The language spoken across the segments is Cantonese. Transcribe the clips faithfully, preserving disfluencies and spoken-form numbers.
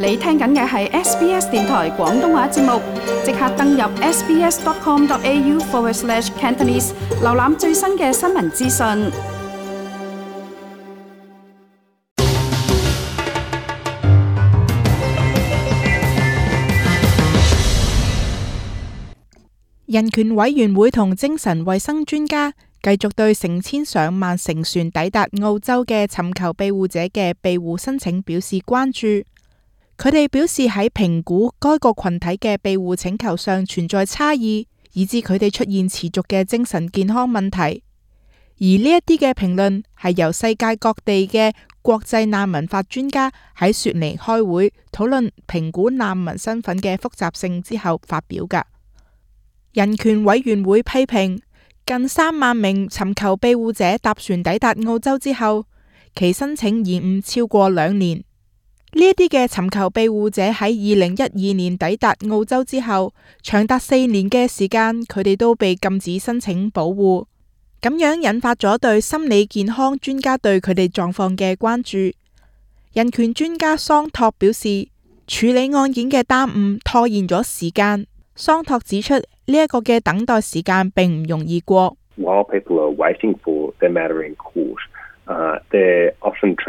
你聽緊嘅係 S B S 電台廣東話節目，即刻登入 sbs.com.au forward slash Cantonese， 瀏覽最新嘅新聞資訊。人權委員會同精神衛生專家繼續對成千上萬乘船抵達澳洲嘅尋求庇護者嘅庇護申請表示關注。佢哋表示喺評估該個群體嘅庇護請求上存在差異，以致佢哋出現持續嘅精神健康問題。而呢一啲嘅評論係由世界各地嘅國際難民法專家喺雪梨開會討論評估難民身份嘅複雜性之後發表㗎。人權委員會批評近三萬名尋求庇護者搭船抵達澳洲之後，其申請延誤超過兩年。呢一啲嘅尋求庇護者喺二零一二年抵達澳洲之後，長達四年嘅時間，佢哋都被禁止申請保護，咁樣引發咗對心理健康專家對佢哋狀況嘅關注。人權專家桑托表示，處理案件嘅耽誤拖延咗時間。桑托指出，呢一個嘅等待時間並唔容易過。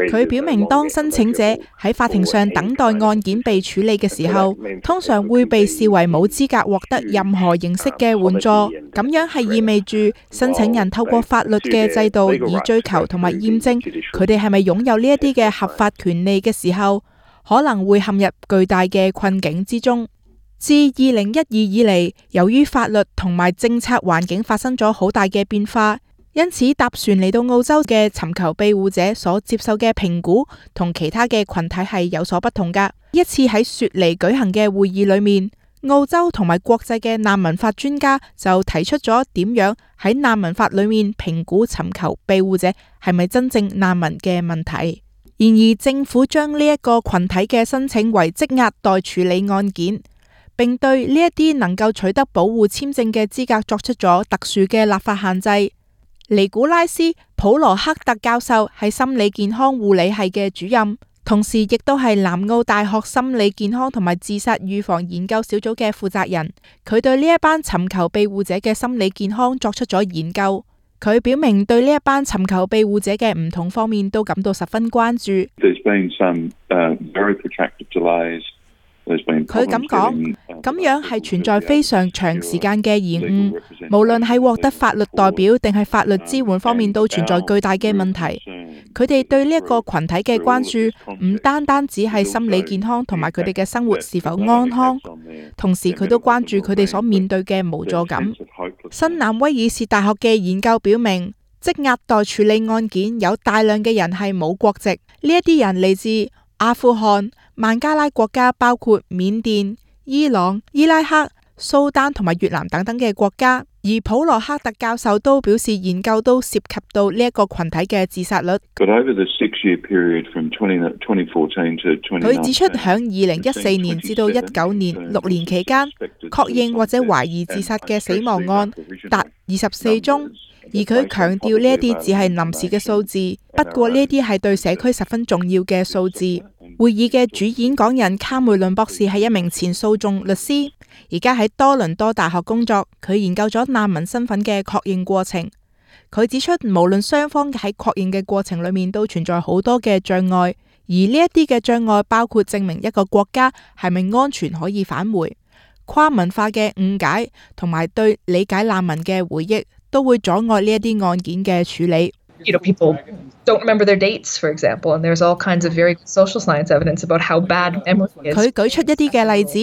佢表明，當申請者喺法庭上等待案件被處理嘅時候，通常會被視為冇資格獲得任何形式嘅援助。咁樣係意味住申請人透過法律嘅制度以追求同埋驗證佢哋係咪擁有呢一啲嘅合法權利嘅時候，可能會陷入巨大嘅困境之中。自二零一二以嚟，由於法律同埋政策環境發生咗好大嘅變化，因此搭船嚟到澳洲嘅尋求庇護者所接受嘅評估同其他嘅群體係有所不同㗎。一次喺雪梨舉行嘅會議裏面，澳洲同埋國際嘅難民法專家就提出咗點樣喺難民法裏面評估尋求庇護者係咪真正難民嘅問題。然而政府將呢一個群體嘅申請為積壓待處理案件，並對呢一啲能夠取得保護簽證嘅資格作出咗特殊嘅立法限制。尼古拉斯·普羅克特教授係心理健康護理系嘅主任，同時亦都係南澳大學心理健康同埋自殺預防研究小組嘅負責人。佢對呢一班尋求庇護者嘅心理健康作出咗研究。佢表明對呢一班尋求庇護者嘅唔同方面都感到十分關注。佢咁講，咁樣係存在非常長時間嘅延誤，無論係獲得法律代表定係法律支援方面都存在巨大嘅問題。佢哋對呢一個群體嘅關注唔單單只係心理健康同埋佢哋嘅生活是否安康，同時佢都關注佢哋所面對嘅無助感。新南威爾士大學嘅研究表明，積壓待處理案件有大量嘅人係冇國籍，呢一啲人嚟自阿富汗、孟加拉國家，包括緬甸、伊朗、伊拉克、蘇丹同埋越南等等嘅國家。而普羅克特教授都表示，研究都涉及到呢一個群體嘅自殺率。佢指出，響二零一四年至到一九年六年期間，確認或者懷疑自殺嘅死亡案達二十四宗。而佢強調呢一啲只係臨時嘅數字，不過呢啲係對社區十分重要嘅數字。會議嘅主演講人卡梅倫博士係一名前訴訟律師，而家喺多倫多大學工作。佢研究咗難民身份嘅確認過程。佢指出，無論雙方喺確認嘅過程裏面都存在好多嘅障礙，而呢一啲嘅障礙包括證明一個國家係咪安全可以返回、跨文化嘅誤解同埋對理解難民嘅回憶，都會阻礙呢一啲案件嘅處理。You know, people don't remember their dates, for example, and there's all kinds of very good social science evidence about how bad memory is. 佢舉出一啲嘅例子，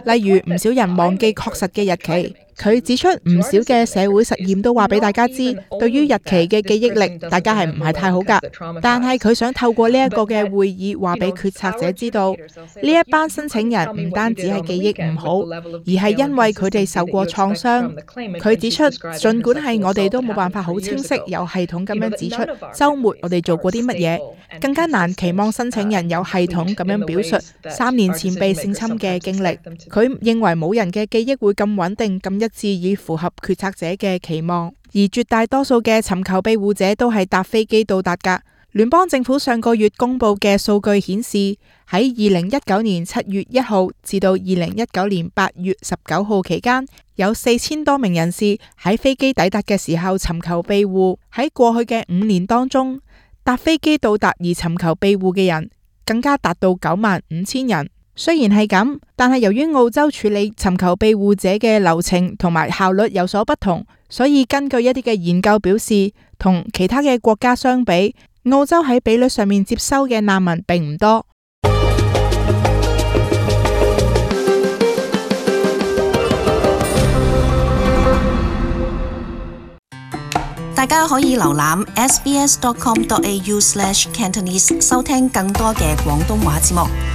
例如唔少人忘記確實嘅日期。佢指出，唔少嘅社會實驗都話俾大家知，對於日期嘅記憶力，大家係唔係太好㗎。但係佢想透過呢一個嘅會議，話俾決策者知道，呢一班申請人唔單止係記憶唔好，而係因為佢哋受過創傷。佢指出，儘管係我哋都冇辦法好清晰、有系統咁樣指出週末我哋做過啲乜嘢，更加難期望申請人有系統咁樣表述三年前被性侵嘅經歷。佢認為冇人嘅記憶會咁穩定、咁一致以符合決策者嘅期望，而絕大多數嘅尋求庇護者都係搭飛機到達㗎。聯邦政府上個月公布嘅數據顯示，喺二零一九年七月一號至到二零一九年八月十九號期間，有四千多名人士喺飛機抵達嘅時候尋求庇護。喺過去嘅五年當中，搭飛機到達而尋求庇護嘅人更加達到九萬五千人。雖然係咁，但係由於澳洲處理尋求庇護者嘅流程同埋效率有所不同，所以根據一啲嘅研究表示，同其他嘅國家相比，澳洲喺比率上面接收嘅難民並唔多。大家可以瀏覽 s b s dot com dot a u slash cantonese 收聽更多嘅廣東話節目。